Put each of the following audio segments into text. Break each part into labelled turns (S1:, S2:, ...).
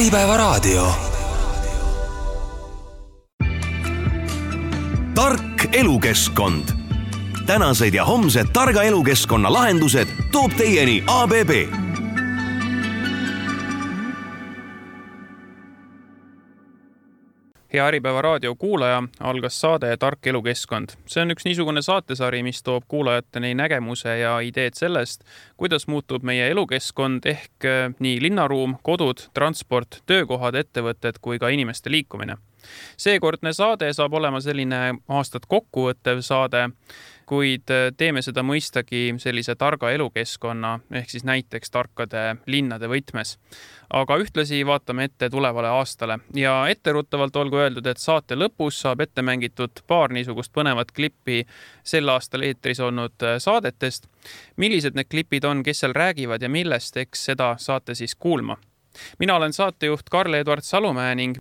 S1: Äripäevaraadio. Tark elukeskkond. Tänased ja homsed targa elukeskkonna lahendused toob teieni ABB.
S2: Hea Äripäevaraadio kuulaja, algas saade Tark elukeskkond. See on üks niisugune saatesari, mis toob kuulajateni nägemuse ja ideed sellest, kuidas muutub meie elukeskkond ehk nii linnaruum, kodud, transport, töökohad, ettevõtted kui ka inimeste liikumine. Seekordne saade saab olema selline aastat kokkuvõttev saade, kuid teeme seda mõistagi sellise targa elukeskkonna ehk siis näiteks tarkade linnade võtmes. Aga ühtlasi vaatame ette tulevale aastale ja etteruttavalt olgu öeldud, et saate lõpus saab ette mängitud paar niisugust põnevat klippi sel aastal eetris olnud saadetest. Millised need klipid on, kes seal räägivad ja millest, eks seda saate siis kuulma. Mina olen saatejuht Karl-Eduard Salumäe ning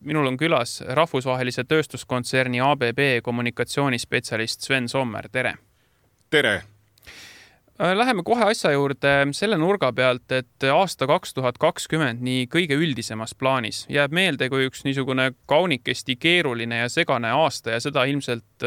S2: minul on külas rahvusvahelise tööstuskontserni ABB kommunikatsioonispetsialist Sven Sommer. Tere!
S3: Tere!
S2: Läheme kohe asja juurde selle nurga pealt, et aasta 2020 nii kõige üldisemas plaanis jääb meelde kui üks niisugune kaunikesti keeruline ja segane aasta ja seda ilmselt,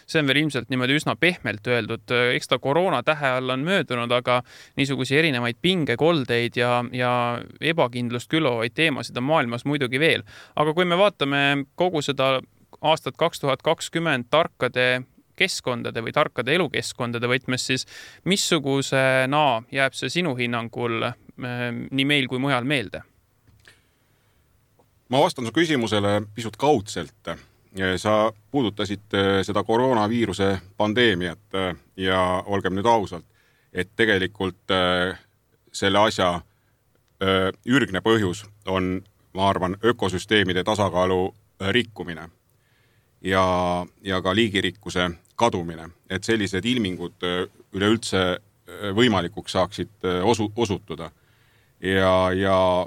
S2: see on veel ilmselt niimoodi üsna pehmelt öeldud. Eks ta koroona tähe all on möödunud, aga niisugusi erinevaid pingekoldeid ja ebakindlust külvavaid teemasid on maailmas muidugi veel. Aga kui me vaatame kogu seda aastat 2020 tarkade keskkondade või tarkade elukeskkondade võtmes, siis missugusena jääb see sinu hinnangul nii meil kui mujal meelde?
S3: Ma vastan su küsimusele pisut kaudselt. Sa puudutasid seda koroonaviiruse pandeemiat ja olgem nüüd ausalt, et tegelikult selle asja ürgne põhjus on, ma arvan, ökosüsteemide tasakaalu rikkumine ja ka liigirikkuse kadumine, et sellised ilmingud üleüldse võimalikuks saaksid osutuda. Ja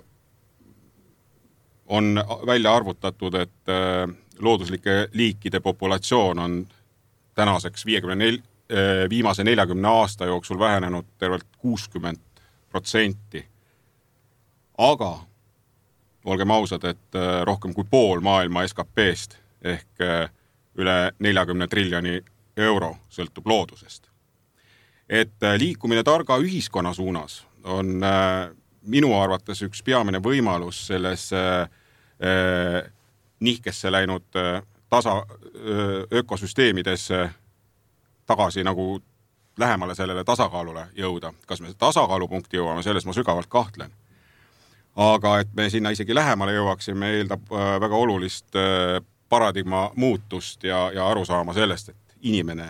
S3: on välja arvutatud, et looduslike liikide populatsioon on tänaseks viimase 40 aasta jooksul vähenenud tervelt 60%. Aga olgem ausad, et rohkem kui pool maailma SKP-st ehk üle 40 triljoni euro sõltub loodusest. Et liikumine targa ühiskonna suunas on minu arvates üks peamine võimalus selles nihkesse läinud ökosüsteemides tagasi nagu lähemale sellele tasakaalule jõuda. Kas me tasakaalupunkti jõuame, selles ma sügavalt kahtlen. Aga et me sinna isegi lähemale jõuaksime, eeldab väga olulist paradigma muutust ja arusaama sellest, et inimene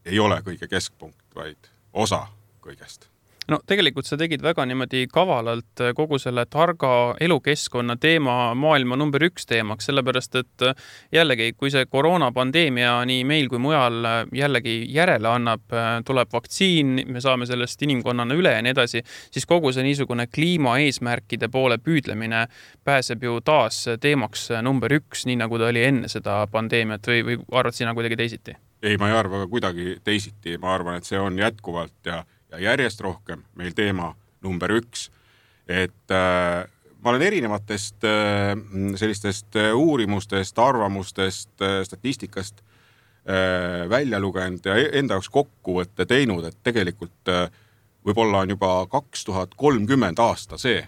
S3: ei ole kõige keskpunkt, vaid osa kõigest.
S2: No tegelikult sa tegid väga niimoodi kavalalt kogu selle targa elukeskkonna teema maailma number 1 teemaks, sellepärast et jällegi, kui see koroonapandeemia nii meil kui mujal jällegi järele annab, tuleb vaktsiin, me saame sellest inimkonnana üle ja nii edasi, siis kogu see niisugune kliimaeesmärkide poole püüdlemine pääseb ju taas teemaks number 1, nii nagu ta oli enne seda pandeemiat või arvad sina kuidagi teisiti?
S3: Ei, ma ei arva kuidagi teisiti. Ma arvan, et see on jätkuvalt ja järjest rohkem meil teema number 1. Et ma olen erinevatest sellistest uurimustest, arvamustest, statistikast välja lugenud ja enda jaoks kokkuvõtte teinud, et tegelikult võib-olla on juba 2030 aasta see,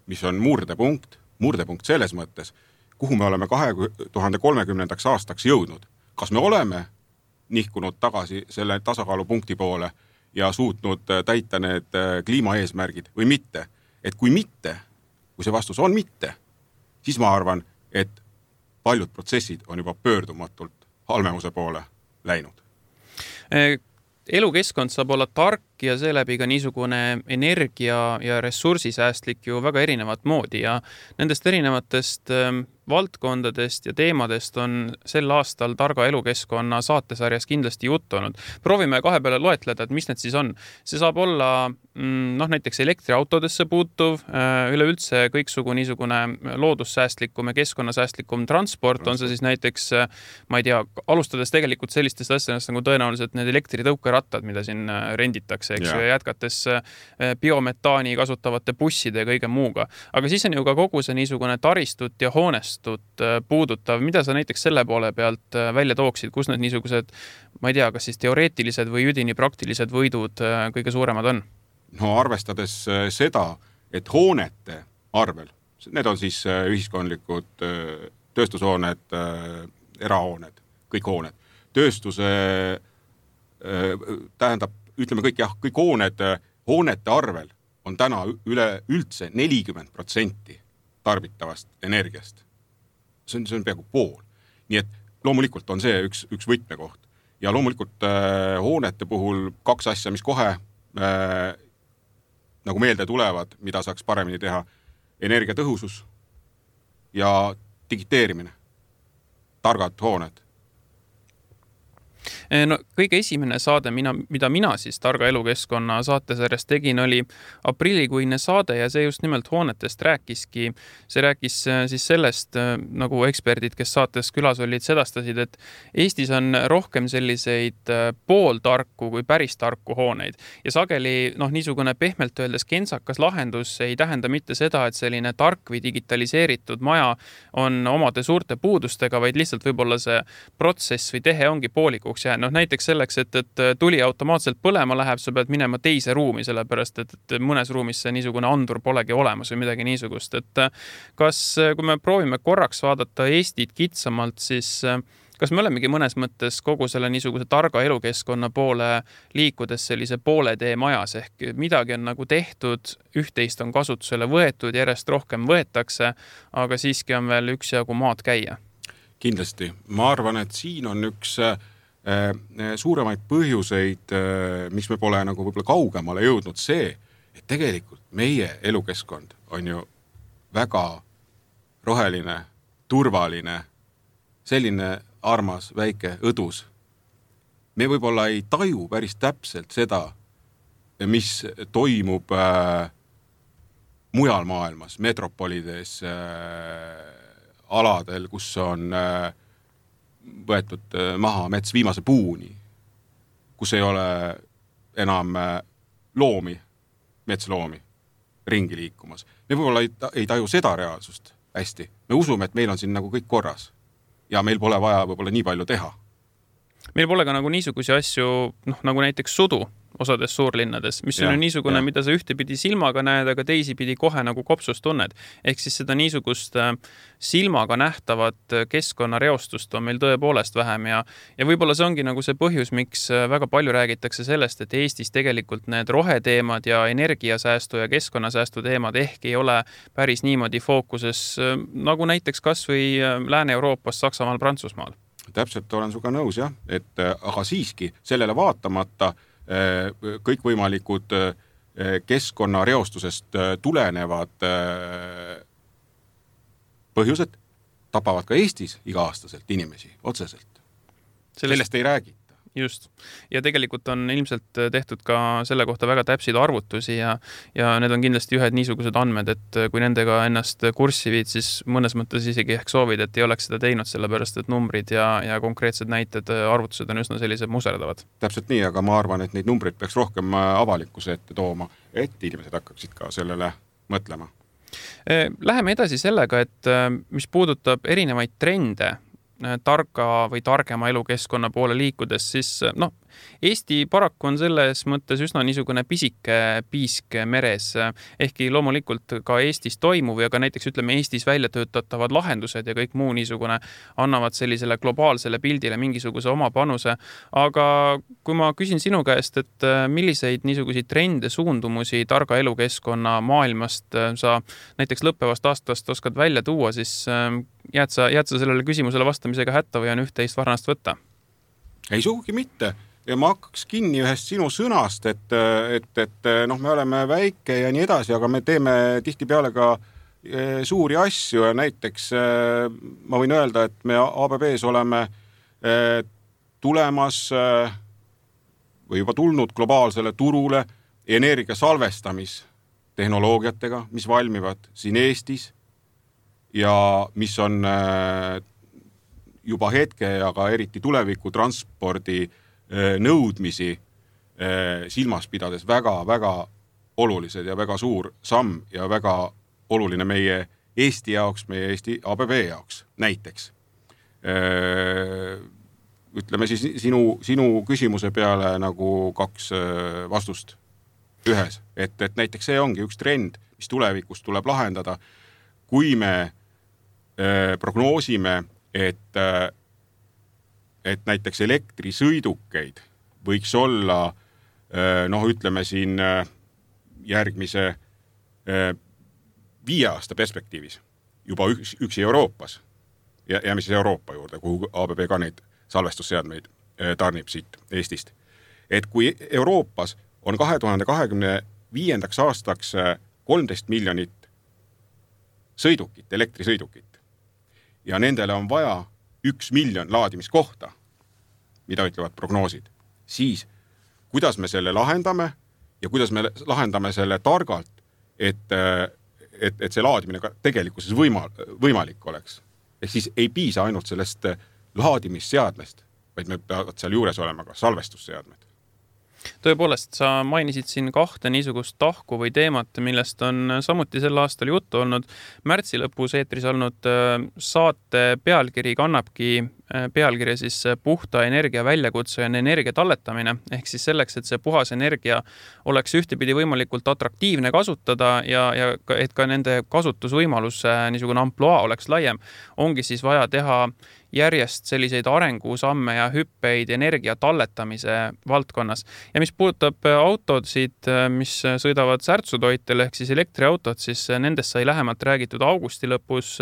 S3: mis on murdepunkt selles mõttes, kuhu me oleme 2030 aastaks jõudnud. Kas me oleme nihkunud tagasi selle tasakaalupunkti poole ja suutnud täita need kliimaeesmärgid või mitte. Et kui mitte, kui see vastus on mitte, siis ma arvan, et paljud protsessid on juba pöördumatult halvemuse poole läinud.
S2: Elukeskkond saab olla tark ja seeläbi ka niisugune energia ja ressursisäästlik ju väga erinevat moodi ja nendest erinevatest valdkondadest ja teemadest on sel aastal Targa elukeskkonna saatesarjas kindlasti juttu olnud. Proovime kahe peale loetleda, et mis need siis on. See saab olla näiteks elektriautodesse puutuv, üleüldse kõiksugu niisugune loodussäästlikum ja keskkonnasäästlikum transport, on see siis näiteks, ma ei tea, alustades tegelikult sellistest asjadest nagu tõenäoliselt need elektritõukerattad, mida siin renditakse, eks ju, ja jätkates biometaani kasutavate busside ja kõige muuga. Aga siis on ju ka kogu see niisugune taristut ja hoonestut puudutav. Mida sa näiteks selle poole pealt välja tooksid, kus need niisugused, ma ei tea, kas siis teoreetilised või üdini praktilised võidud kõige suuremad on?
S3: No arvestades seda, et hoonete arvel, need on siis ühiskondlikud tööstushooned, erahooned, kõik hooned. Tööstuse tähendab, ütleme kõik, jah, kõik hoonete arvel on täna üleüldse 40% tarbitavast energiast. See on peaaegu pool. Nii et loomulikult on see üks võtmekoht. Ja loomulikult hoonete puhul kaks asja, mis kohe nagu meelde tulevad, mida saaks paremini teha, energiatõhusus ja digiteerimine, targad hooned.
S2: No, kõige esimene saade, mida mina siis Targa elukeskkonna saatesarjas tegin, oli aprillikuine saade ja see just nimelt hoonetest rääkiski. See rääkis siis sellest, nagu eksperdid, kes saates külas olid, sedastasid, et Eestis on rohkem selliseid pooltarku kui päris tarku hooneid. Ja sageli niisugune pehmelt öeldes kentsakas lahendus ei tähenda mitte seda, et selline tark või digitaliseeritud maja on omade suurte puudustega, vaid lihtsalt võib-olla see protsess või tehe ongi poolikuks jäänud. Näiteks selleks, et tuli automaatselt põlema läheb, sa pead minema teise ruumi, sellepärast, et mõnes ruumis see niisugune andur polegi olemas või midagi niisugust. Et kas, kui me proovime korraks vaadata Eestit kitsamalt, siis kas me olemegi mõnes mõttes kogu selle niisuguse targa elukeskkonna poole liikudes sellise poole tee majas, ehk midagi on nagu tehtud, üht-teist on kasutusele võetud, järjest rohkem võetakse, aga siiski on veel üksjagu maad käia?
S3: Kindlasti. Ma arvan, et siin on üks suuremaid põhjuseid, miks me pole nagu võib-olla kaugemale jõudnud see, et tegelikult meie elukeskkond on ju väga roheline, turvaline, selline armas, väike, õdus. Me võib-olla ei taju päris täpselt seda, mis toimub mujal maailmas, metropolides, aladel, kus on võetud maha mets viimase puuni, kus ei ole enam loomi, metsloomi ringi liikumas. Me võib-olla ei taju seda reaalsust hästi. Me usume, et meil on siin nagu kõik korras ja meil pole vaja võib-olla nii palju teha.
S2: Meil pole ka nagu niisugusi asju, nagu näiteks sudu osades suurlinnades, mis on niisugune, mida sa ühtepidi silmaga näed, aga teisipidi kohe nagu kopsus tunned. Ehk siis seda niisugust silmaga nähtavat keskkonnareostust on meil tõepoolest vähem ja võib-olla see ongi nagu see põhjus, miks väga palju räägitakse sellest, et Eestis tegelikult need roheteemad ja energiasäästu ja keskkonnasäästu teemad ehk ei ole päris niimoodi fookuses, nagu näiteks kas või Lääne-Euroopas, Saksamaal, Prantsusmaal.
S3: Täpselt olen suga nõus, jah, et aga siiski sellele vaatamata kõikvõimalikud keskkonnareostusest tulenevad põhjused tapavad ka Eestis iga-aastaselt inimesi otseselt. Sellest ei räägita.
S2: Just. Ja tegelikult on ilmselt tehtud ka selle kohta väga täpseid arvutusi ja need on kindlasti ühed niisugused andmed, et kui nendega ennast kurssi viid, siis mõnes mõttes isegi ehk soovid, et ei oleks seda teinud, sellepärast et numbrid ja konkreetsed näited, arvutused on üsna sellised muserdavad.
S3: Täpselt nii, aga ma arvan, et neid numbreid peaks rohkem avalikkuse ette tooma, et inimesed hakkaksid ka sellele mõtlema.
S2: Läheme edasi sellega, et mis puudutab erinevaid trende, targa või targema elukeskkonna poole liikudes, siis Eesti paraku on selles mõttes üsna niisugune pisike piisk meres, ehkki loomulikult ka Eestis toimuv ja ka näiteks ütleme Eestis välja töötatavad lahendused ja kõik muu niisugune annavad sellisele globaalsele pildile mingisuguse oma panuse. Aga kui ma küsin sinu käest, et milliseid niisuguseid trende, suundumusi targa elukeskkonna maailmast sa näiteks lõppevast aastast oskad välja tuua, siis jääd sa sellele küsimusele vastamisega hätta või on üht-teist varnast võtta?
S3: Ei sugugi mitte. Ja ma hakkaks kinni ühest sinu sõnast, et me oleme väike ja nii edasi, aga me teeme tihtipeale ka suuri asju ja näiteks ma võin öelda, et me ABB-s oleme tulemas või juba tulnud globaalsele turule energia salvestamistehnoloogiatega, mis valmivad siin Eestis ja mis on juba hetke ja ka eriti tuleviku transpordi nõudmisi silmas pidades väga-väga olulised ja väga suur samm ja väga oluline meie Eesti jaoks, meie Eesti ABB jaoks näiteks. Ütleme siis sinu küsimuse peale nagu 2 vastust ühes, et näiteks see ongi üks trend, mis tulevikus tuleb lahendada, kui me prognoosime, et näiteks elektrisõidukeid võiks olla, ütleme siin järgmise 5 aasta perspektiivis juba üksi Euroopas ja mis Euroopa juurde, kuhu ABB ka neid salvestusseadmeid tarnib siit Eestist. Et kui Euroopas on 2025. aastaks 13 miljonit sõidukit, elektrisõidukit ja nendele on vaja 1 miljon laadimiskohta, mida ütlevad prognoosid, siis kuidas me selle lahendame ja kuidas me lahendame selle targalt, et see laadimine ka tegelikkuses võimalik oleks. Ehk siis ei piisa ainult sellest laadimisseadmest, vaid me peavad seal juures olema ka salvestusseadmed.
S2: Tõepoolest, sa mainisid siin 2 niisugust tahku või teemat, millest on samuti sel aastal juttu olnud. Märtsi lõpus eetris olnud saate pealkiri kannabki pealkirja siis puhta energia väljakutse ja energia talletamine. Ehk siis selleks, et see puhas energia oleks ühtepidi võimalikult atraktiivne kasutada ja et ka nende kasutusvõimalus niisugune amploa oleks laiem, ongi siis vaja teha järjest selliseid arengusamme ja hüppeid energia talletamise valdkonnas. Ja mis puudutab autosid, mis sõidavad särtsutoitel ehk siis elektriautod, siis nendest sai lähemalt räägitud augusti lõpus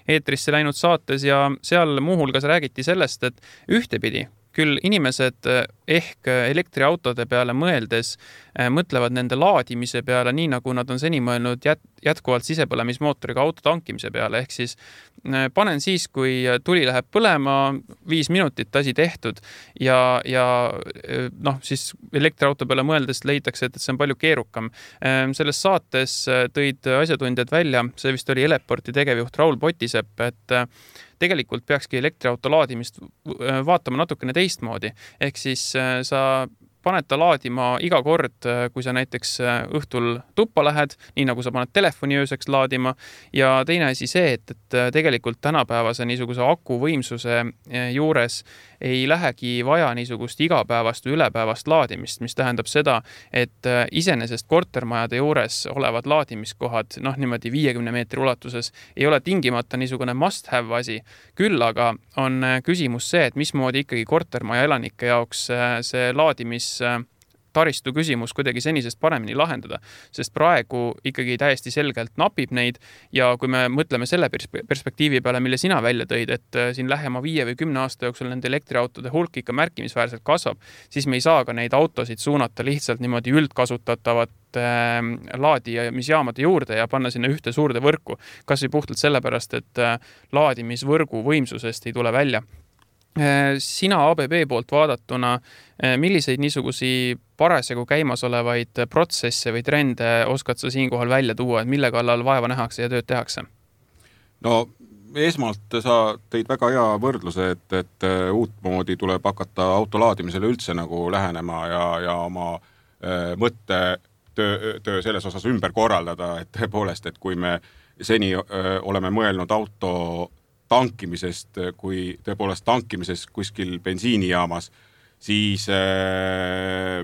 S2: eetrisse läinud saates ja seal muuhulgas räägiti sellest, et ühtepidi küll inimesed ehk elektriautode peale mõeldes mõtlevad nende laadimise peale nii, nagu nad on seni mõelnud jätkuvalt sisepõlemismootoriga auto tankimise peale. Ehk siis panen siis, kui tuli läheb põlema, 5 minutit asi tehtud ja siis elektriauto peale mõeldes leitakse, et see on palju keerukam. Selles saates tõid asjatundjad välja, see vist oli Eleporti tegevjuht Raul Potisepp, et tegelikult peakski elektriauto laadimist vaatama natukene teistmoodi. Ehk siis sa paned ta laadima iga kord, kui sa näiteks õhtul tuppa lähed, nii nagu sa paned telefoni ööseks laadima. Ja teine asi see, et tegelikult tänapäevase niisuguse aku võimsuse juures ei lähegi vaja niisugust igapäevast või ülepäevast laadimist, mis tähendab seda, et iseenesest kortermajade juures olevad laadimiskohad, niimoodi 50 meetri ulatuses, ei ole tingimata niisugune must have asi. Küll aga on küsimus see, et mismoodi ikkagi kortermaja elanike jaoks see laadimistaristu küsimus kuidagi senisest paremini lahendada, sest praegu ikkagi täiesti selgelt napib neid ja kui me mõtleme selle perspektiivi peale, mille sina välja tõid, et siin lähema 5 või 10 aasta jooksul nende elektriautode hulk ikka märkimisväärselt kasvab, siis me ei saa ka neid autosid suunata lihtsalt niimoodi üldkasutatavat laadimisjaamade juurde ja panna sinna ühte suurde võrku, kas või puhtalt sellepärast, et laadimisvõrgu võimsusest ei tule välja. Sina ABB poolt vaadatuna, milliseid niisugusi parasjagu käimas olevaid protsesse või trende oskad sa siinkohal välja tuua, et mille kallal vaeva nähakse ja tööd tehakse?
S3: No esmalt sa tõid väga hea võrdluse, et uutmoodi tuleb hakata autolaadimisele üldse nagu lähenema ja oma mõttetöö selles osas ümber korraldada, et tõepoolest, et kui me seni oleme mõelnud auto tankimisest, kui tõepoolest tankimisest kuskil bensiinijaamas, siis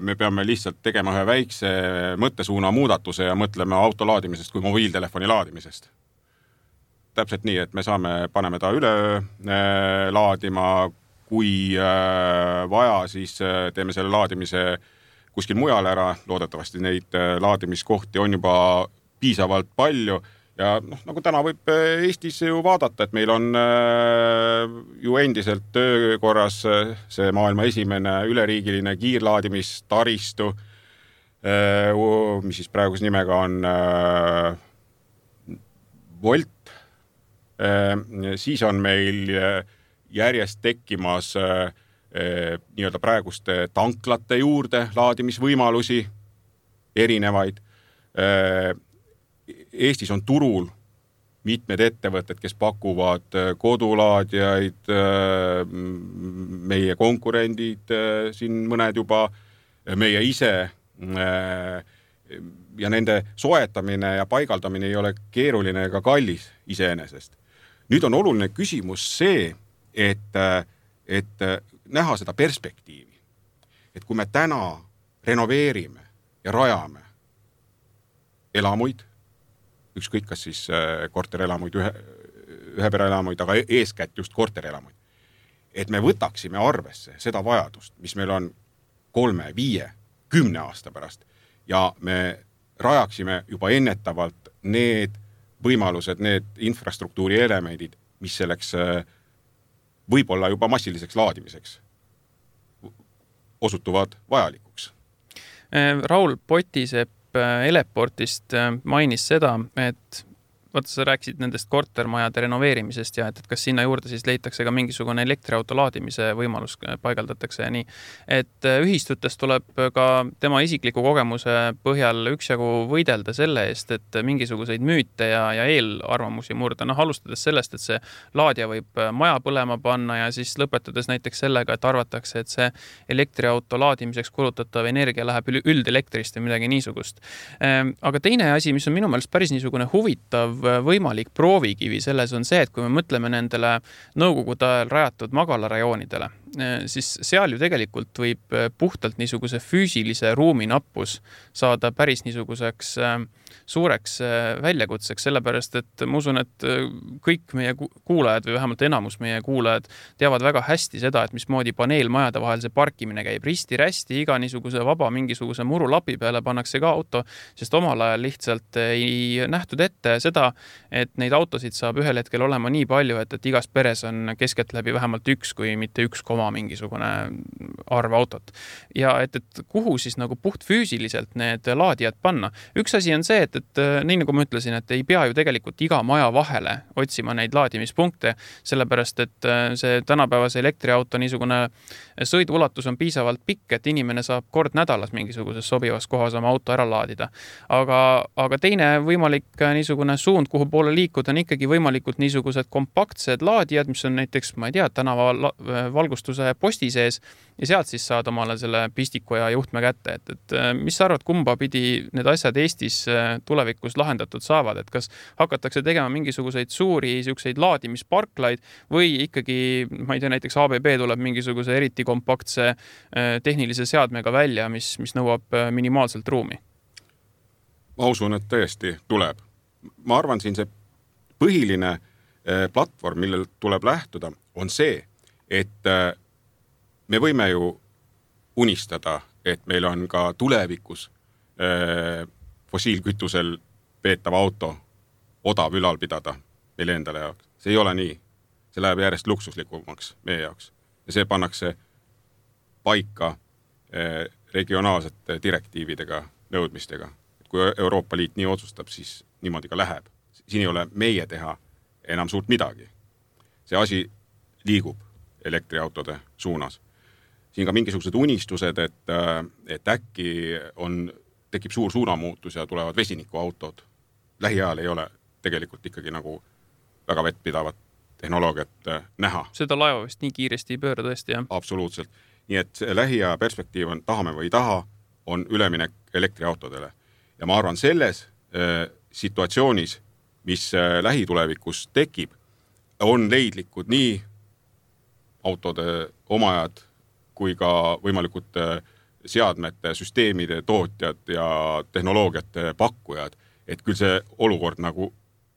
S3: me peame lihtsalt tegema ühe väikse mõttesuuna muudatuse ja mõtleme auto laadimisest kui mobiiltelefoni laadimisest. Täpselt nii, et me paneme ta üle laadima, kui vaja, siis teeme selle laadimise kuskil mujal ära, loodetavasti neid laadimiskohti on juba piisavalt palju. Ja nagu täna võib Eestis ju vaadata, et meil on ju endiselt töökorras see maailma esimene üleriigiline kiirlaadimistaristu, mis siis praegus nimega on volt, siis on meil järjest tekkimas nii-öelda praeguste tanklate juurde laadimisvõimalusi erinevaid. Eestis on turul mitmed ettevõtted, kes pakuvad kodulaadijaid, meie konkurendid, siin mõned juba, meie ise ja nende soetamine ja paigaldamine ei ole keeruline ega kallis iseenesest. Nüüd on oluline küsimus see, et näha seda perspektiivi. Et kui me täna renoveerime ja rajame elamuid, ükskõik kas siis korterelamuid, ühepereelamuid, aga eeskätt just korterelamuid, et me võtaksime arvesse seda vajadust, mis meil on 3, 5, 10 aasta pärast ja me rajaksime juba ennetavalt need võimalused, need infrastruktuuri elemendid, mis selleks võib-olla juba massiliseks laadimiseks osutuvad vajalikuks.
S2: Raul Potisepp Eleportist mainis seda, et vaata, sa rääkisid nendest kortermajade renoveerimisest ja et kas sinna juurde siis leitakse ka mingisugune elektriauto laadimise võimalus paigaldatakse ja nii. Et ühistutes tuleb ka tema isikliku kogemuse põhjal üksjagu võidelda selle eest, et mingisuguseid müüte ja eelarvamusi murda. Alustades sellest, et see laadija võib maja põlema panna ja siis lõpetades näiteks sellega, et arvatakse, et see elektriauto laadimiseks kulutatav energia läheb üldelektrist või midagi niisugust. Aga teine asi, mis on minu meelest päris niisugune huvitav võimalik proovikivi selles on see, et kui me mõtleme nendele nõukogude ajal rajatud magalarajoonidele, siis seal ju tegelikult võib puhtalt niisuguse füüsilise ruumi nappus saada päris niisuguseks suureks väljakutseks, sellepärast et ma usun, et kõik meie kuulajad või vähemalt enamus meie kuulajad teavad väga hästi seda, et mismoodi paneelmajade vahel see parkimine käib. Risti-rästi iga niisuguse vaba mingisuguse murulapi peale pannakse ka auto, sest omal ajal lihtsalt ei nähtud ette seda, et neid autosid saab ühel hetkel olema nii palju, et igas peres on keskeltläbi vähemalt üks, kui mitte 1, mingisugune arv autot. Ja et kuhu siis nagu puht füüsiliselt need laadijad panna. Üks asi on see, et nii nagu ma ütlesin, et ei pea ju tegelikult iga maja vahele otsima neid laadimispunkte, sellepärast et see tänapäevase elektriauto niisugune sõiduulatus on piisavalt pikk, et inimene saab kord nädalas mingisuguses sobivas kohas oma auto ära laadida. Aga teine võimalik niisugune suund, kuhu poole liikuda, on ikkagi võimalikult niisugused kompaktsed laadijad, mis on näiteks, ma ei tea, tänava valgustuse posti sees ja sealt siis saad omale selle pistiku ja juhtme kätte. Et mis sa arvad, kumba pidi need asjad Eestis tulevikus lahendatud saavad? Et kas hakatakse tegema mingisuguseid suuri siukseid laadimisparklaid või ikkagi, ma ei tea, näiteks ABB tuleb mingisuguse eriti kompaktse tehnilise seadmega välja, mis nõuab minimaalselt ruumi?
S3: Ma usun, et tõesti tuleb. Ma arvan, siin see põhiline platvorm, millel tuleb lähtuda, on see, et me võime ju unistada, et meil on ka tulevikus fossiilkütusel peetav auto odav ülal pidada meil endale jaoks. See ei ole nii. See läheb järjest luksuslikumaks meie jaoks. Ja see pannakse paika regionaalsete direktiividega, nõudmistega. Kui Euroopa Liit nii otsustab, siis niimoodi ka läheb. Siin ei ole meie teha enam suurt midagi. See asi liigub elektriautode suunas. Siin ka mingisugused unistused, et äkki tekib suur suunamuutus ja tulevad vesinikuautod. Lähiajal ei ole tegelikult ikkagi nagu väga vettpidavat tehnoloogiat näha.
S2: Seda laeva vist nii kiiresti ei pööra tõesti, jah?
S3: Absoluutselt. Nii et lähiaja perspektiiv on, tahame või taha, on üleminek elektriautodele. Ja ma arvan, selles situatsioonis, mis lähitulevikus tekib, on leidlikud nii autode omajad kui ka võimalikud seadmete, süsteemide tootjad ja tehnoloogiate pakkujad, et küll see olukord nagu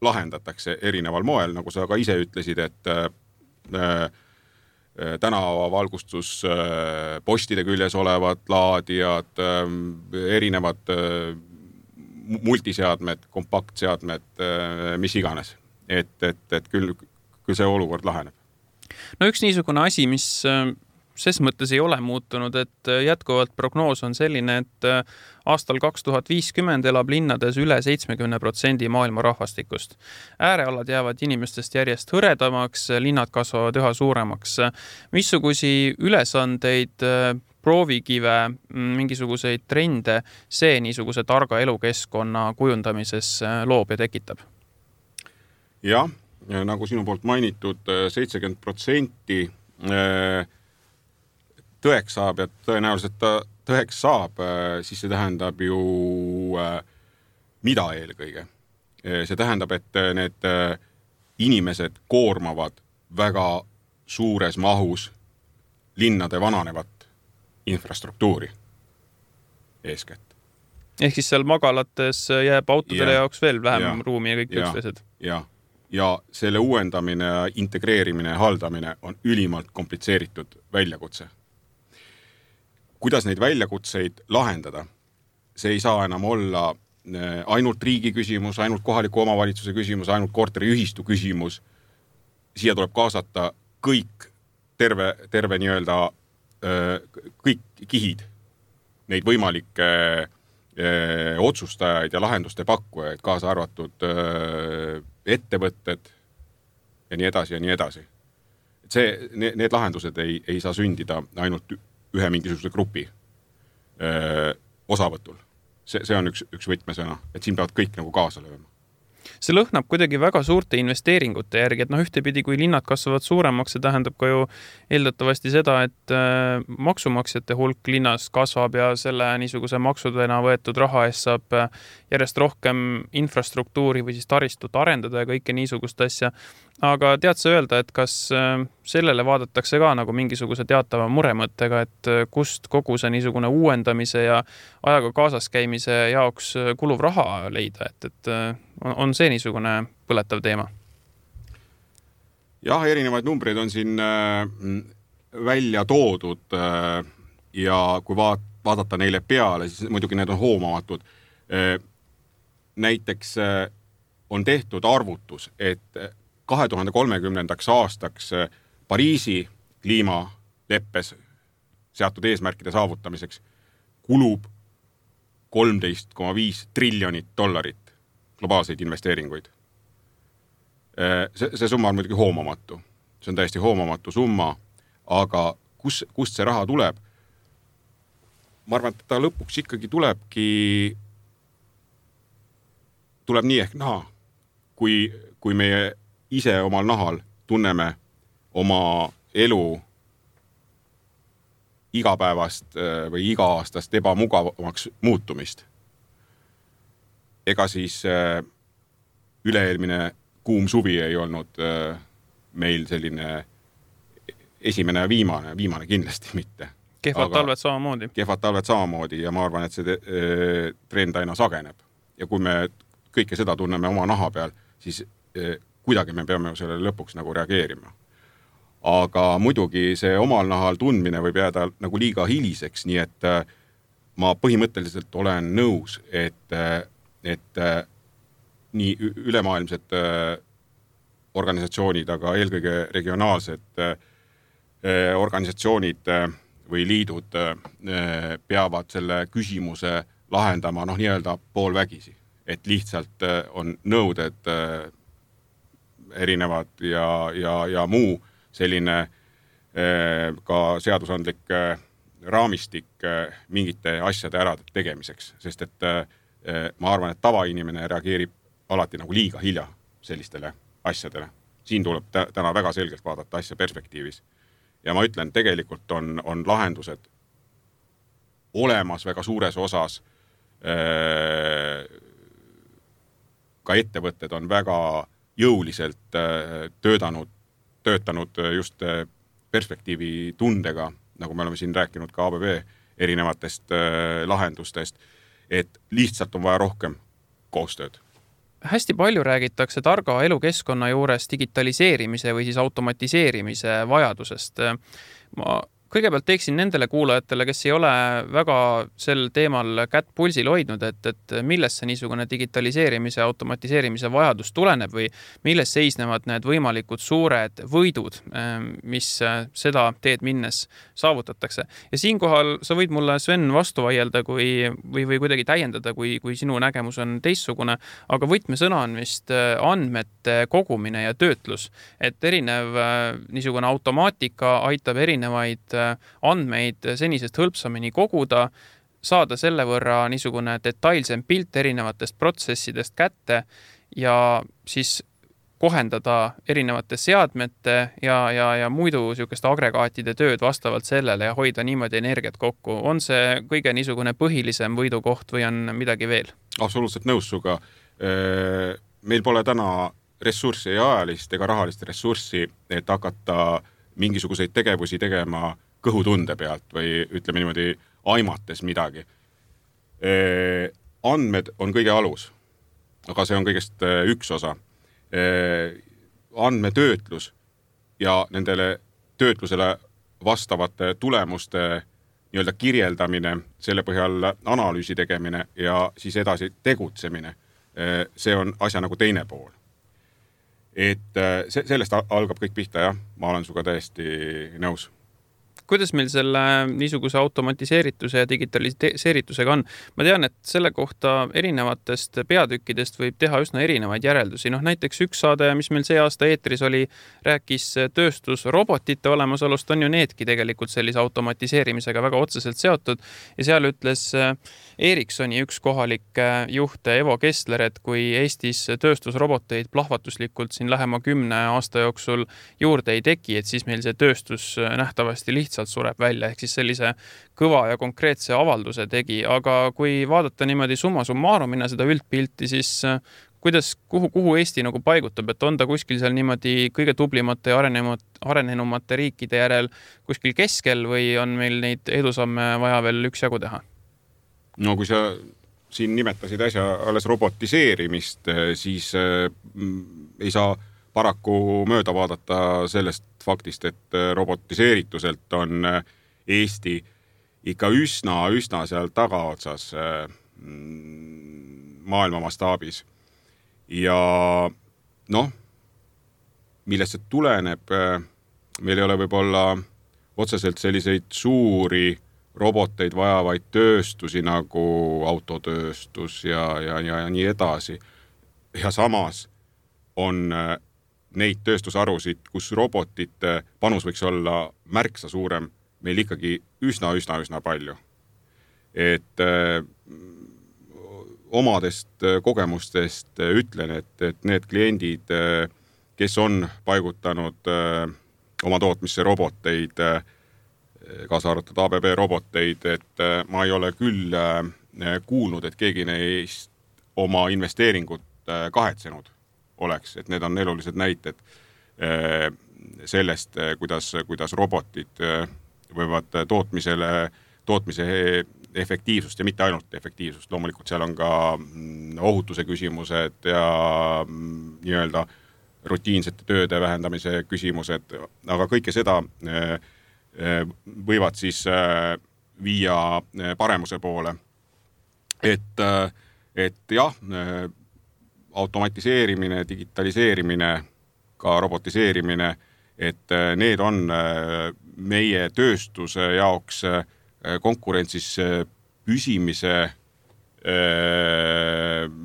S3: lahendatakse erineval moel, nagu sa ka ise ütlesid, et tänavavalgustus postide küljes olevad laadijad, erinevad multiseadmed, kompaktseadmed, mis iganes. Et küll see olukord laheneb.
S2: No üks niisugune asi, mis ses mõttes ei ole muutunud, et jätkuvalt prognoos on selline, et aastal 2050 elab linnades üle 70% maailma rahvastikust. Äärealad jäävad inimestest järjest hõredamaks, linnad kasvavad üha suuremaks. Missugusi ülesandeid, proovikive, mingisuguseid trende see niisuguse targa elukeskkonna kujundamises loob ja tekitab?
S3: Jah, nagu sinu poolt mainitud, 70% tõeks saab ja tõenäoliselt ta tõeks saab, siis see tähendab ju mida eelkõige. See tähendab, et need inimesed koormavad väga suures mahus linnade vananevat infrastruktuuri eeskätt.
S2: Ehk siis seal magalates jääb autodele jaoks veel vähem ruumi ja kõik üksteised.
S3: Ja selle uuendamine, integreerimine ja haldamine on ülimalt komplitseeritud väljakutse. Kuidas neid väljakutseid lahendada? See ei saa enam olla ainult riigi küsimus, ainult kohaliku omavalitsuse küsimus, ainult korteriühistu küsimus. Siia tuleb kaasata kõik terve nii-öelda kõik kihid, neid võimalikke otsustajaid ja lahenduste pakkujaid, kaasa arvatud ettevõtted ja nii edasi ja nii edasi. Need lahendused ei saa sündida ainult ühe mingisuguse grupi osavõtul. See on üks võtmesõna, et siin peavad kõik nagu kaasa lööma.
S2: See lõhnab kuidagi väga suurte investeeringute järgi, et ühtepidi, kui linnad kasvavad suuremaks, see tähendab ka ju eeldatavasti seda, et maksumaksjate hulk linnas kasvab ja selle niisuguse maksudena võetud raha eest saab järjest rohkem infrastruktuuri või siis taristut arendada ja kõike niisugust asja. Aga tead sa öelda, et kas sellele vaadatakse ka nagu mingisuguse teatava muremõttega, et kust kogu see niisugune uuendamise ja ajaga kaasas käimise jaoks kuluv raha leida, et on see niisugune põletav teema?
S3: Jah, erinevaid numbreid on siin välja toodud ja kui vaadata neile peale, siis muidugi need on hoomamatud. Näiteks on tehtud arvutus, et 2030. aastaks Pariisi kliimaleppes seatud eesmärkide saavutamiseks kulub $13,5 triljonit globaalseid investeeringuid. See summa on muidugi hoomamatu. See on täiesti hoomamatu summa, aga kust see raha tuleb? Ma arvan, et ta lõpuks ikkagi tuleb nii ehk naha, kui meie ise omal nahal tunneme oma elu igapäevast või iga-aastast ebamugavamaks muutumist. Ega siis üle-eelmine kuum suvi ei olnud meil selline esimene ja viimane kindlasti mitte.
S2: Kehvad talved samamoodi.
S3: Kehvad talved samamoodi ja ma arvan, et see trend aina sageneb. Ja kui me kõike seda tunneme oma naha peal, siis kuidagi me peame sellele lõpuks nagu reageerima. Aga muidugi see omal nahal tundmine võib jääda nagu liiga hiliseks, nii et ma põhimõtteliselt olen nõus, et nii ülemaailmsed organisatsioonid, aga eelkõige regionaalsed organisatsioonid või liidud peavad selle küsimuse lahendama nii-öelda poolvägisi. Et lihtsalt on nõuded erinevad ja muu selline ka seadusandlik raamistik mingite asjade ära tegemiseks, sest et ma arvan, et tavainimene reageerib alati nagu liiga hilja sellistele asjadele. Siin tuleb täna väga selgelt vaadata asja perspektiivis. Ja ma ütlen, tegelikult on lahendused olemas väga suures osas. Ka ettevõtted on väga jõuliselt töötanud just perspektiivi tundega, nagu me oleme siin rääkinud ka ABB erinevatest lahendustest, et lihtsalt on vaja rohkem koostööd.
S2: Hästi palju räägitakse targa elukeskkonna juures digitaliseerimise või siis automatiseerimise vajadusest. Ma kõigepealt teeksin nendele kuulajatele, kes ei ole väga sel teemal kätt pulsil hoidnud, et millest see niisugune digitaliseerimise ja automatiseerimise vajadus tuleneb või milles seisnevad need võimalikud suured võidud, mis seda teed minnes saavutatakse. Ja siinkohal sa võid mulle, Sven, vastu vaielda või kuidagi täiendada, kui sinu nägemus on teistsugune, aga võtmesõna on vist andmete kogumine ja töötlus. Et erinev niisugune automaatika aitab erinevaid andmeid senisest hõlpsamini koguda, saada selle võrra niisugune detailsem pilt erinevatest protsessidest kätte ja siis kohendada erinevate seadmete ja muidu niisugust agregaatide tööd vastavalt sellele ja hoida niimoodi energiat kokku. On see kõige niisugune põhilisem võidukoht või on midagi veel?
S3: Absoluutselt nõus suga. Meil pole täna ressurssi ja ajalist ega rahalist ressurssi, et hakata mingisuguseid tegevusi tegema kõhutunde pealt või ütleme niimoodi aimates midagi. Andmed on kõige alus, aga see on kõigest üks osa. Andmetöötlus ja nendele töötlusele vastavate tulemuste nii-öelda kirjeldamine, selle põhjal analüüsi tegemine ja siis edasi tegutsemine. See on asja nagu teine pool. Et sellest algab kõik pihta, jah. Ma olen suga täiesti nõus.
S2: Kuidas meil selle niisuguse automatiseerituse ja digitaliseeritusega on? Ma tean, et selle kohta erinevatest peatükkidest võib teha üsna erinevaid järeldusi. Näiteks üks saade, mis meil see aasta eetris oli, rääkis tööstusrobotite olemasolust, on ju needki tegelikult sellise automatiseerimisega väga otseselt seotud. Ja seal ütles Ericssoni üks kohalik juht Evo Kessler, et kui Eestis tööstusroboteid plahvatuslikult siin lähema 10 aasta jooksul juurde ei teki, et siis meil see tööstus nähtavasti lihtsalt sureb välja, ehk siis sellise kõva ja konkreetse avalduse tegi, aga kui vaadata niimoodi summa summarumina seda üldpilti, siis kuhu Eesti nagu paigutab, et on ta kuskil seal niimoodi kõige tublimate ja arenenumate riikide järel kuskil keskel või on meil neid edusamme vaja veel üksjagu teha?
S3: No kui sa siin nimetasid äsja alles robotiseerimist, siis ei saa paraku mööda vaadata sellest faktist, et robotiseerituselt on Eesti ikka üsna seal tagaotsas maailma mastaabis. Ja millest see tuleneb, meil ei ole võib-olla otseselt selliseid suuri roboteid vajavaid tööstusi nagu autotööstus ja nii edasi. Ja samas on neid tööstusharusid, kus robotite panus võiks olla märksa suurem, meil ikkagi üsna palju. Et omadest kogemustest ütlen, et need kliendid, kes on paigutanud oma tootmisse roboteid, kaasa arvatud ABB roboteid, et ma ei ole küll kuulnud, et keegi neist oma investeeringut kahetsenud oleks, et need on elulised näited sellest, kuidas robotid võivad tootmise efektiivsust ja mitte ainult efektiivsust, loomulikult seal on ka ohutuse küsimused ja nii-öelda rutiinsete tööde vähendamise küsimused, aga kõike seda võivad siis viia paremuse poole. Et jah, automatiseerimine, digitaliseerimine, ka robotiseerimine, et need on meie tööstuse jaoks konkurentsis püsimise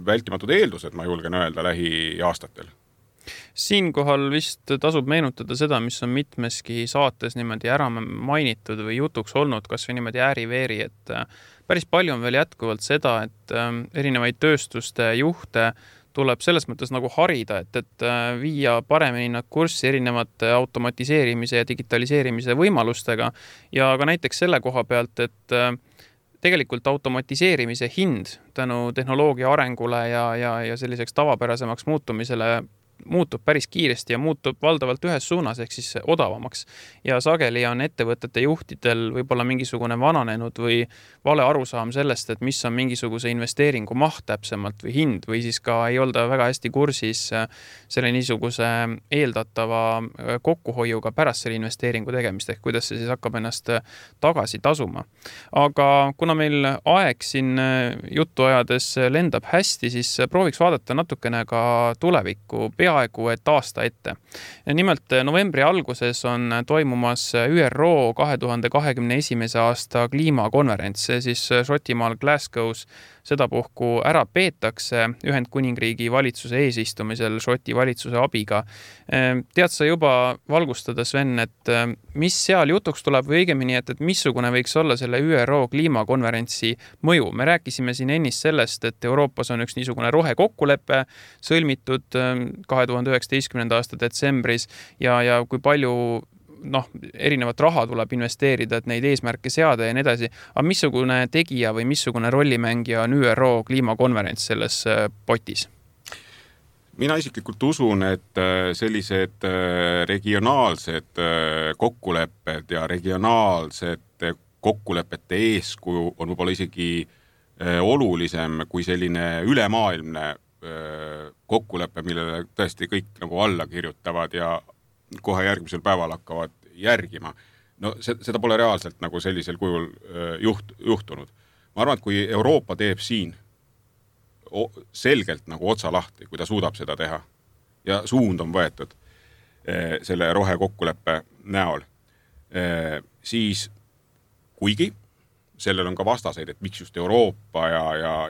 S3: vältimatud eeldused, ma julgen öelda, lähiaastatel.
S2: Siinkohal vist tasub meenutada seda, mis on mitmeski saates niimoodi ära mainitud või jutuks olnud, kas või niimoodi ääri-veeri, et päris palju on veel jätkuvalt seda, et erinevaid tööstuste juhte tuleb selles mõttes nagu harida, et viia paremini nad kurssi erinevate automatiseerimise ja digitaliseerimise võimalustega ja ka näiteks selle koha pealt, et tegelikult automatiseerimise hind tänu tehnoloogia arengule ja selliseks tavapärasemaks muutumisele muutub päris kiiresti ja muutub valdavalt ühes suunas ehk siis odavamaks. Ja sageli on ettevõtete juhtidel võib-olla mingisugune vananenud või vale arusaam sellest, et mis on mingisuguse investeeringu maht täpsemalt või hind või siis ka ei olda väga hästi kursis selle niisuguse eeldatava kokkuhoiuga pärast selle investeeringu tegemist ehk kuidas see siis hakkab ennast tagasi tasuma. Aga kuna meil aeg siin juttu ajades lendab hästi, siis prooviks vaadata natukene ka tulevikku peaaegu et aasta ette. Nimelt novembri alguses on toimumas ÜRO 2021. aasta kliimakonverents, see siis Šotimaal Glasgow's sedapuhku ära peetakse Ühendkuningriigi valitsuse eesistumisel Šoti valitsuse abiga. Tead sa juba valgustada, Sven, et mis seal jutuks tuleb või õigemini, et missugune võiks olla selle ÜRO kliimakonverentsi mõju? Me rääkisime siin ennist sellest, et Euroopas on üks niisugune rohekokkulepe sõlmitud 2019. aasta detsembris ja kui palju erinevat raha tuleb investeerida, et neid eesmärke seada ja nii edasi. Aga missugune tegija või missugune rollimängija on ÜRO kliimakonverents selles potis?
S3: Mina isiklikult usun, et sellised regionaalsed kokkulepped ja regionaalsed kokkulepete eeskuju on võib-olla isegi olulisem kui selline ülemaailmne kokkulepe, millele tõesti kõik nagu alla kirjutavad ja kohe järgmisel päeval hakkavad järgima. No seda pole reaalselt nagu sellisel kujul juhtunud. Ma arvan, et kui Euroopa teeb siin selgelt nagu otsa lahti, kui ta suudab seda teha ja suund on võetud selle rohekokkuleppe näol, siis kuigi sellel on ka vastaseid, et miks just Euroopa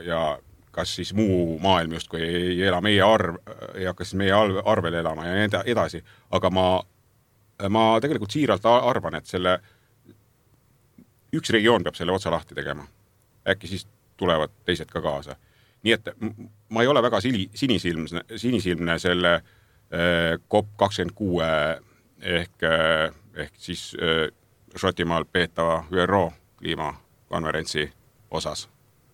S3: ja kas siis muu maailm just, kui ei ela meie ei hakka siis meie arvel elama ja edasi. Aga ma tegelikult siiralt arvan, et üks regioon peab selle otsa lahti tegema. Äkki siis tulevad teised ka kaasa. Nii et ma ei ole väga sinisilmne selle COP26 ehk siis Šotimaal peetava ÜRO kliimakonverentsi osas.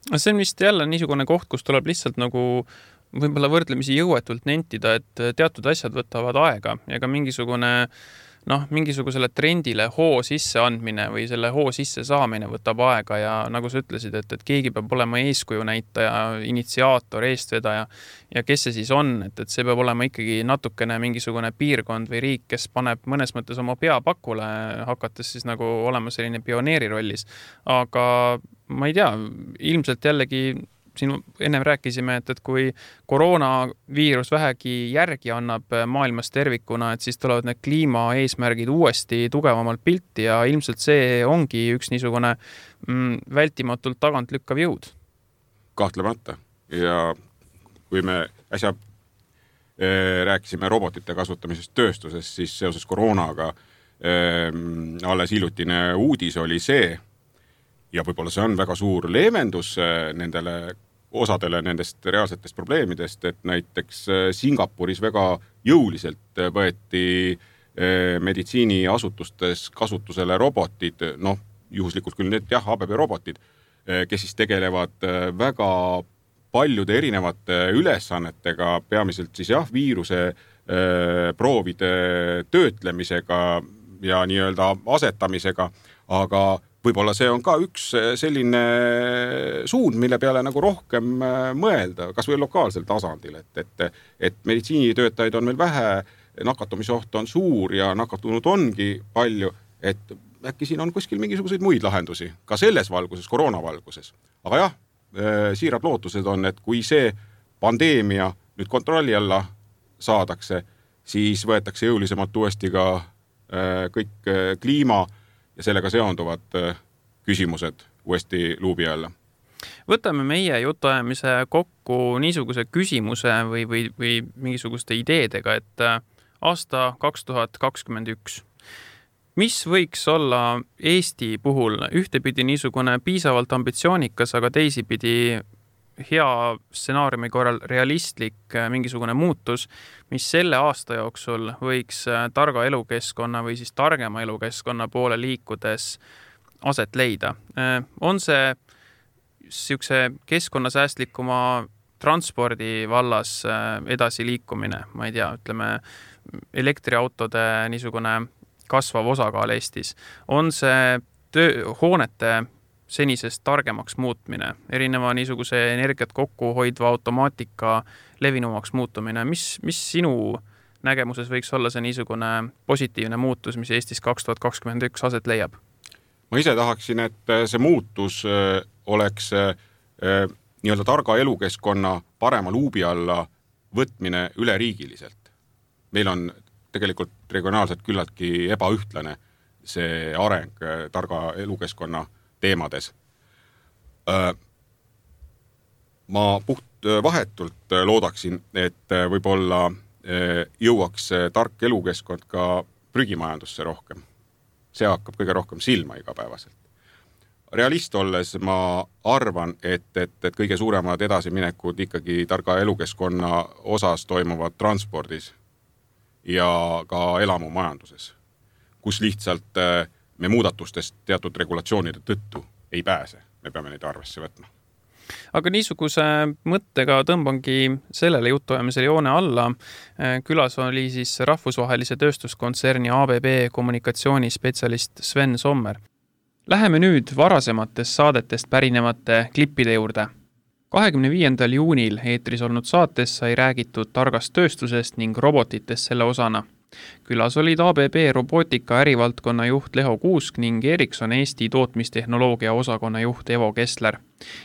S2: See on vist jälle niisugune koht, kus tuleb lihtsalt nagu võib-olla võrdlemisi jõuetult nentida, et teatud asjad võtavad aega ja ka mingisugusele trendile hoo sisse andmine või selle hoo sisse saamine võtab aega ja nagu sa ütlesid, et keegi peab olema eeskuju näitaja, initsiaator, eestvedaja ja kes see siis on, et see peab olema ikkagi natukene mingisugune piirkond või riik, kes paneb mõnes mõttes oma pea pakule, hakates siis nagu olema selline pioneeri rollis. Aga ma ei tea, ilmselt jällegi siin ennem rääkisime, et kui koroonaviirus vähegi järgi annab maailmas tervikuna, et siis tulevad need kliimaeesmärgid uuesti tugevamalt pilti ja ilmselt see ongi üks niisugune vältimatult tagant lükkav jõud.
S3: Kahtlemata. Ja kui me äsja rääkisime robotite kasutamisest tööstuses, siis seoses koroonaga alles hiljutine uudis oli see, ja võib-olla see on väga suur leevendus nendele osadele nendest reaalsetest probleemidest, et näiteks Singapuris väga jõuliselt võeti meditsiiniasutustes kasutusele robotid, juhuslikult küll need ABB robotid, kes siis tegelevad väga paljude erinevate ülesannetega, peamiselt siis viiruse proovide töötlemisega ja nii-öelda asetamisega, aga võib-olla see on ka üks selline suund, mille peale nagu rohkem mõelda, kas või lokaalsel tasandil, et meditsiinitöötajaid on meil vähe, nakatumisoht on suur ja nakatunud ongi palju, et äkki siin on kuskil mingisuguseid muid lahendusi, ka selles valguses, koroonavalguses. Aga jah, siirad lootused on, et kui see pandeemia nüüd kontrolli alla saadakse, siis võetakse jõulisemalt uuesti ka kõik kliima ja sellega seonduvad küsimused uuesti luubi alla.
S2: Võtame meie jutuajamise kokku niisuguse küsimuse või mingisuguste ideedega, et aasta 2021. Mis võiks olla Eesti puhul ühtepidi niisugune piisavalt ambitsioonikas, aga teisipidi hea stsenaariumi korral realistlik mingisugune muutus, mis selle aasta jooksul võiks targa elukeskkonna või siis targema elukeskkonna poole liikudes aset leida. On see siukse keskkonnasäästlikuma transpordi vallas edasiliikumine, ma ei tea, ütleme elektriautode niisugune kasvav osakaal Eestis, on see hoonete senisest targemaks muutmine, erineva niisuguse energiat kokku hoidva automaatika levinumaks muutumine, mis sinu nägemuses võiks olla see niisugune positiivne muutus, mis Eestis 2021 aset leiab?
S3: Ma ise tahaksin, et see muutus oleks nii-öelda targa elukeskkonna parema luubi alla võtmine üleriigiliselt. Meil on tegelikult regionaalselt küllaltki ebaühtlane see areng targa elukeskkonna teemades. Ma puht vahetult loodaksin, et võib-olla jõuaks tark elukeskkond ka prügimajandusse rohkem. See hakkab kõige rohkem silma igapäevaselt. Realist olles ma arvan, et kõige suuremad edasiminekud ikkagi targa elukeskkonna osas toimuvad transpordis ja ka elamumajanduses, kus lihtsalt me muudatustest teatud regulatsioonide tõttu ei pääse. Me peame neid arvesse võtma.
S2: Aga niisuguse mõttega tõmbangi sellele jutuajamisele joone alla. Külas oli siis rahvusvahelise tööstuskontserni ABB kommunikatsioonispetsialist Sven Sommer. Läheme nüüd varasematest saadetest pärinevate klippide juurde. 25. juunil eetris olnud saates sai räägitud targast tööstusest ning robotitest selle osana. Külas olid ABB robootika ärivaldkonna juht Leho Kuusk ning Ericsson Eesti tootmistehnoloogia osakonna juht Evo Kessler.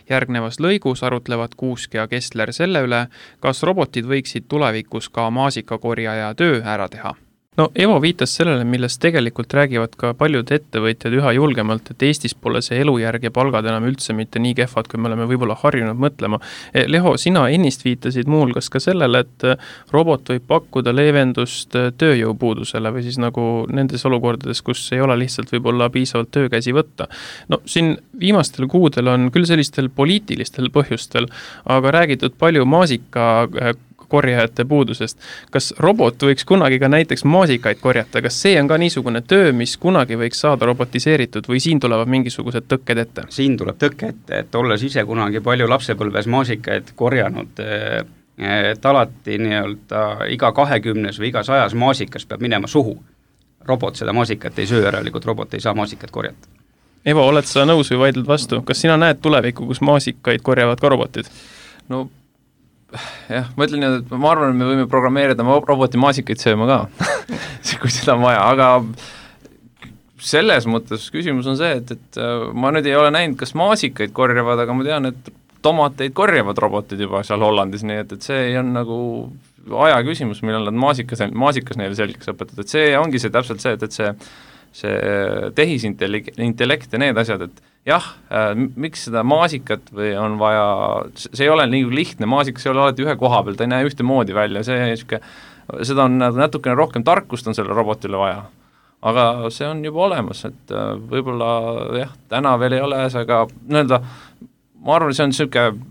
S2: Järgnevas lõigus arutlevad Kuusk ja Kessler selle üle, kas robotid võiksid tulevikus ka maasikakorjaja töö ära teha. No Evo viitas sellele, millest tegelikult räägivad ka paljud ettevõtjad üha julgemalt, et Eestis pole see elujärg ja palgad enam üldse mitte nii kehvad, kui me oleme võib-olla harjunud mõtlema. Leho, sina ennist viitasid muuhulgas ka sellele, et robot võib pakkuda leevendust tööjõupuudusele või siis nagu nendes olukordades, kus ei ole lihtsalt võib-olla piisavalt töökäsi võtta. No siin viimastel kuudel on küll sellistel poliitilistel põhjustel, aga räägitud palju maasika korjajate puudusest. Kas robot võiks kunagi ka näiteks maasikaid korjata? Kas see on ka niisugune töö, mis kunagi võiks saada robotiseeritud või siin tulevad mingisugused tõkked ette?
S4: Siin tuleb tõkke ette, et olles ise kunagi palju lapsepõlves maasikaid korjanud, et alati nii-öelda iga 20 või iga 100 maasikas peab minema suhu. Robot seda maasikat ei söö, järelikult robot ei saa maasikat korjata.
S2: Evo, oled sa nõus või vaidled vastu? Kas sina näed tulevikku, kus maasikaid korjavad ka robotid?
S5: No jah, ma ütlen, et ma arvan, et me võime programmeerida roboti maasikaid sööma ka, kui seda on vaja, aga selles mõttes küsimus on see, et ma nüüd ei ole näinud, kas maasikaid korjavad, aga ma tean, et tomateid korjavad robotid juba seal Hollandis, nii et see on nagu aja küsimus, millal nad maasikas neile selgeks õpetavad, et see ongi see täpselt see, et see tehisintellekt ja need asjad, et jah, miks seda maasikat või on vaja, see ei ole nii lihtne, maasikas ei ole alati ühe koha peal, ta ei näe ühte moodi välja, seda on natukene rohkem tarkust on selle robotile vaja. Aga see on juba olemas, et võib-olla jah, täna veel ei ole see, aga ma arvan, see on niisugune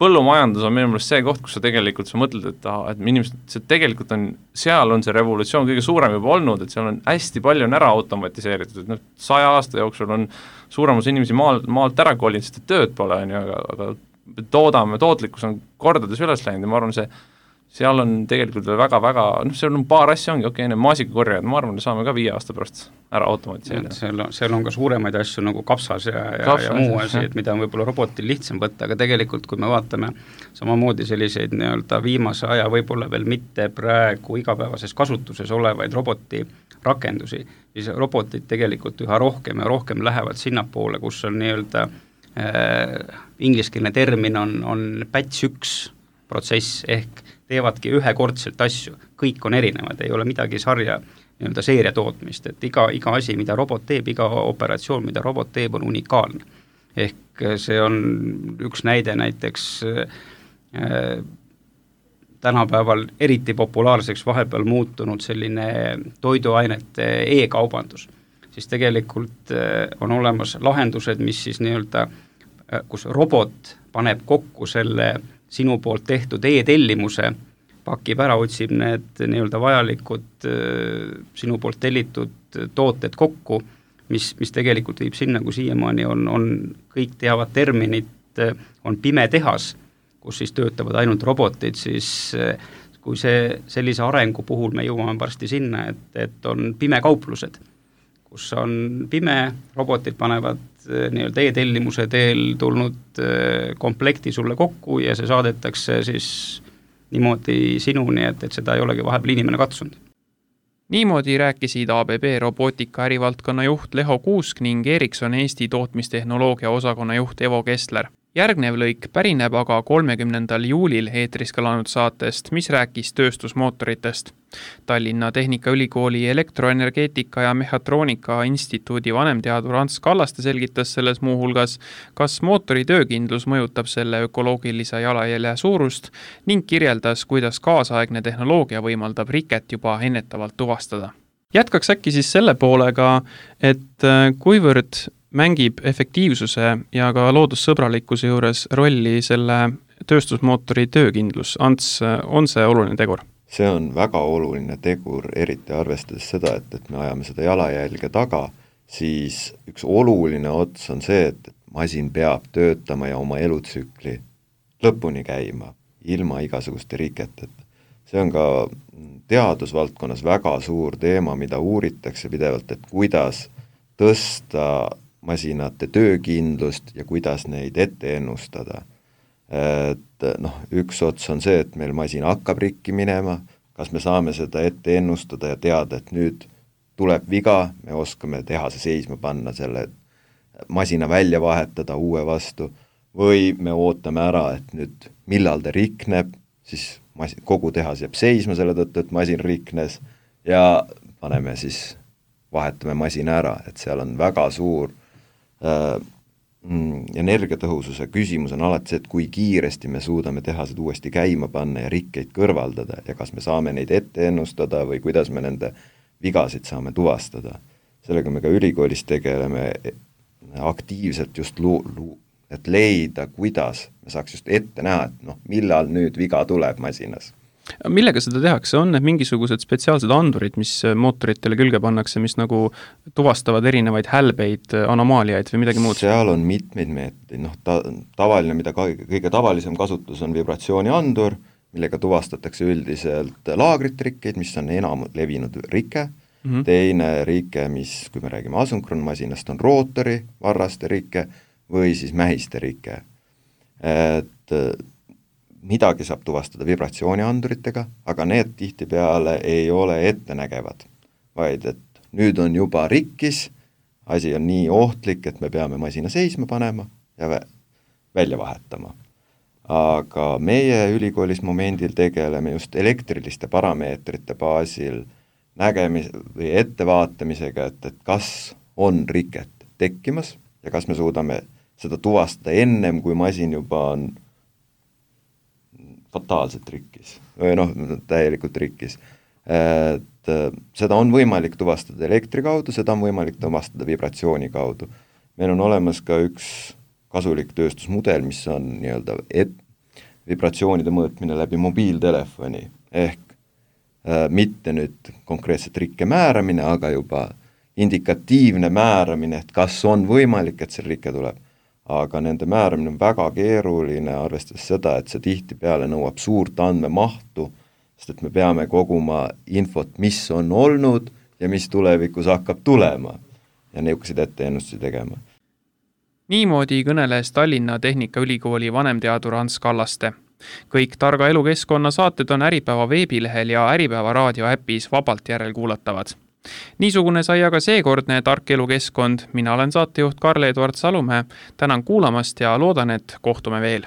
S5: põllumajandus on minu meelest see koht, kus sa tegelikult mõtled, et inimesed, see tegelikult on, seal on see revolutsioon kõige suurem juba olnud, et seal on hästi palju ära automatiseeritud, et 100 aasta jooksul on suuremus inimesi maalt ära kolinud, sest tööd pole, aga tootlikkus on kordades üles läinud ja ma arvan, seal on tegelikult väga-väga, seal on paar asja ongi, need maasikakorjad, ma arvan, saame ka 5 aasta pärast ära automatiseerida.
S4: Seal on ka suuremaid asju nagu kapsas ja muu asi, et mida on võib-olla robotil lihtsam võtta, aga tegelikult kui me vaatame samamoodi selliseid nii-öelda viimase aja võib-olla veel mitte praegu igapäevases kasutuses olevaid roboti rakendusi, siis robotid tegelikult üha rohkem ja rohkem lähevad sinnapoole, kus on nii-öelda ingliskeelne termin on batch 1 protsess ehk teevadki ühekordselt asju, kõik on erinevad, ei ole midagi sarja nii-öelda seeria tootmist, et iga asi, mida robot teeb, iga operatsioon, mida robot teeb, on unikaalne. Ehk see on üks näide näiteks tänapäeval eriti populaarseks vahepeal muutunud selline toiduainete e-kaubandus. Siis tegelikult on olemas lahendused, mis siis nii-öelda, kus robot paneb kokku selle sinu poolt tehtud e-tellimuse, pakib ära, otsib need nii-öelda vajalikud sinu poolt tellitud tooted kokku, mis tegelikult viib sinna, kui siiamaani on kõik teavad terminit, on pime tehas, kus siis töötavad ainult robotid, siis kui sellise arengu puhul me jõuame varsti sinna, et on pimekauplused, kus on pime, robotid panevad nii-öelda e-tellimuse teel tulnud komplekti sulle kokku ja see saadetakse siis niimoodi sinuni, et seda ei olegi vahepeal inimene katsunud.
S2: Niimoodi rääkisid ABB robootika ärivaldkonna juht Leho Kuusk ning Ericsson Eesti tootmistehnoloogia osakonna juht Evo Kessler. Järgnev lõik pärineb aga 30. juulil eetris kõlanud saatest, mis rääkis tööstusmootoritest. Tallinna Tehnikaülikooli elektroenergeetika ja mehhatroonika instituudi vanemteadur Ants Kallaste selgitas selles muuhulgas, kas mootori töökindlus mõjutab selle ökoloogilise jalajälje suurust ning kirjeldas, kuidas kaasaegne tehnoloogia võimaldab riket juba ennetavalt tuvastada. Jätkaks äkki siis selle poolega, et kuivõrd mängib efektiivsuse ja ka loodussõbralikkuse juures rolli selle tööstusmootori töökindlus. Ants, on see oluline tegur?
S6: See on väga oluline tegur, eriti arvestades seda, et me ajame seda jalajälge taga, siis üks oluline ots on see, et masin peab töötama ja oma elutsükli lõpuni käima, ilma igasuguste riketeta. See on ka teadusvaldkonnas väga suur teema, mida uuritakse pidevalt, et kuidas tõsta masinate töökindlust ja kuidas neid ette ennustada. Et üks ots on see, et meil masin hakkab rikki minema, kas me saame seda ette ennustada ja teada, et nüüd tuleb viga, me oskame tehase seisma panna, selle masina välja vahetada uue vastu, või me ootame ära, et nüüd millal ta rikneb, siis kogu tehas jääb seisma selle tõttu, et masin riknes ja paneme siis, vahetame masina ära, et seal on väga suur energiatõhususe küsimus on alati see, et kui kiiresti me suudame tehased uuesti käima panna ja rikkeid kõrvaldada ja kas me saame neid ette ennustada või kuidas me nende vigasid saame tuvastada. Sellega me ka ülikoolis tegeleme aktiivselt just et leida, kuidas me saaks just ette näha, et millal nüüd viga tuleb masinas.
S2: Millega seda tehakse? On need mingisugused spetsiaalsed andurid, mis mootoritele külge pannakse, mis nagu tuvastavad erinevaid hälbeid, anomaaliaid või midagi muud?
S6: Seal on mitmeid meetmeid. Tavaline, mida kõige tavalisem kasutus on vibratsiooniandur, millega tuvastatakse üldiselt laagritrikkeid, mis on enam levinud rike. Teine rike, mis, kui me räägime asünkronmasinast, on rootori varraste rike või siis mähiste rike. Et midagi saab tuvastada vibratsioonianduritega, aga need tihtipeale ei ole ettenägevad, vaid et nüüd on juba rikkis, asi on nii ohtlik, et me peame masina seisma panema ja välja vahetama. Aga meie ülikoolis momendil tegeleme just elektriliste parameetrite baasil või ettevaatamisega, et kas on riket tekkimas ja kas me suudame seda tuvastada ennem, kui masin juba on fataalselt rikkis või täielikult rikkis. Et seda on võimalik tuvastada elektri kaudu, seda on võimalik tuvastada vibratsiooni kaudu. Meil on olemas ka üks kasulik tööstusmudel, mis on nii-öelda vibratsioonide mõõtmine läbi mobiiltelefoni, ehk mitte nüüd konkreetselt rikke määramine, aga juba indikatiivne määramine, et kas on võimalik, et see rikke tuleb. Aga nende määramine on väga keeruline, arvestades seda, et see tihtipeale nõuab suurt andmemahtu, sest et me peame koguma infot, mis on olnud ja mis tulevikus hakkab tulema ja niisuguseid etteennustusi tegema.
S2: Niimoodi kõneles Tallinna Tehnikaülikooli vanemteadur Ants Kallaste. Kõik Targa elukeskkonna saated on Äripäeva veebilehel ja Äripäeva raadioäpis vabalt järelkuulatavad. Niisugune sai aga seekordne Tark elukeskkond. Mina olen saatejuht Karl-Edvard Salumäe. Tänan kuulamast ja loodan, et kohtume veel.